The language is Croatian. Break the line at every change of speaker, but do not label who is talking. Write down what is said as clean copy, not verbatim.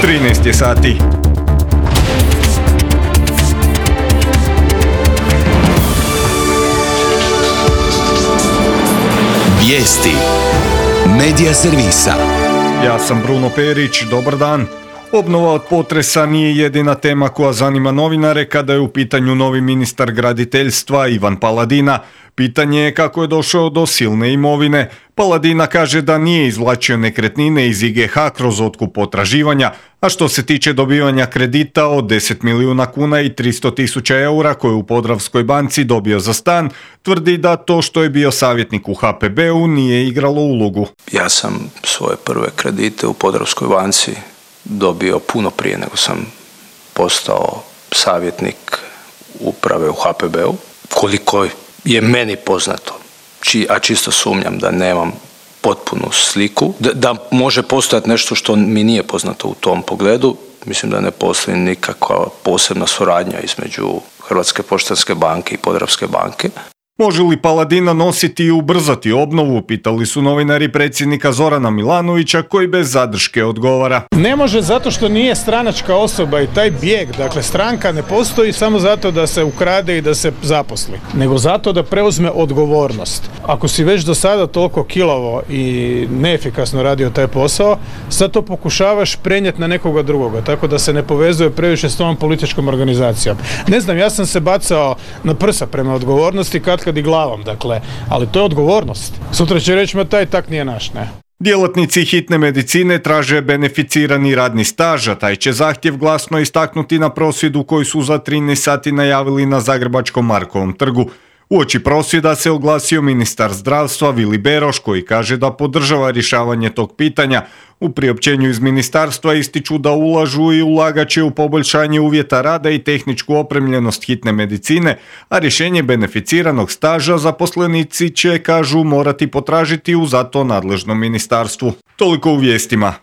13 je sati.
Vijesti Medija servisa.
Ja sam Bruno Perić, dobar dan. Obnova od potresa nije jedina tema koja zanima novinare kada je u pitanju novi ministar graditeljstva Ivan Paladina. Pitanje je kako je došao do silne imovine. Paladina kaže da nije izvlačio nekretnine iz IGH kroz otkup potraživanja, a što se tiče dobivanja kredita od 10 milijuna kuna i 300.000 eura koje je u Podravskoj banci dobio za stan, tvrdi da to što je bio savjetnik u HPB-u nije igralo ulogu.
Ja sam svoje prve kredite u Podravskoj banci dobio puno prije nego sam postao savjetnik uprave u HPB-u. Koliko je meni poznato, a čisto sumnjam da nemam potpunu sliku, da može postojati nešto što mi nije poznato u tom pogledu. Mislim da ne postoji nikakva posebna suradnja između Hrvatske poštanske banke i Podravske banke.
Može li Paladina nositi i ubrzati obnovu, pitali su novinari predsjednika Zorana Milanovića, koji bez zadrške odgovara.
Ne može zato što nije stranačka osoba i taj bijeg, dakle stranka ne postoji samo zato da se ukrade i da se zaposli, nego zato da preuzme odgovornost. Ako si već do sada toliko kilavo i neefikasno radio taj posao, sad to pokušavaš prenijeti na nekoga drugoga, tako da se ne povezuje previše s tom političkom organizacijom. Ne znam, ja sam se bacao na prsa prema odgovornosti kad i glavom, dakle, ali to je odgovornost. Sutra će reći, ma taj tak nije naš, ne.
Djelatnici hitne medicine traže beneficirani radni staž, a taj će zahtjev glasno istaknuti na prosvjedu koji su za 13 sati najavili na Zagrebačkom Markovom trgu. Uoči prosvjeda se oglasio ministar zdravstva Vili Beroš, koji kaže da podržava rješavanje tog pitanja. U priopćenju iz ministarstva ističu da ulažu i ulagat će u poboljšanje uvjeta rada i tehničku opremljenost hitne medicine, a rješenje beneficiranog staža zaposlenici će, kažu, morati potražiti u zato nadležnom ministarstvu. Toliko u vijestima.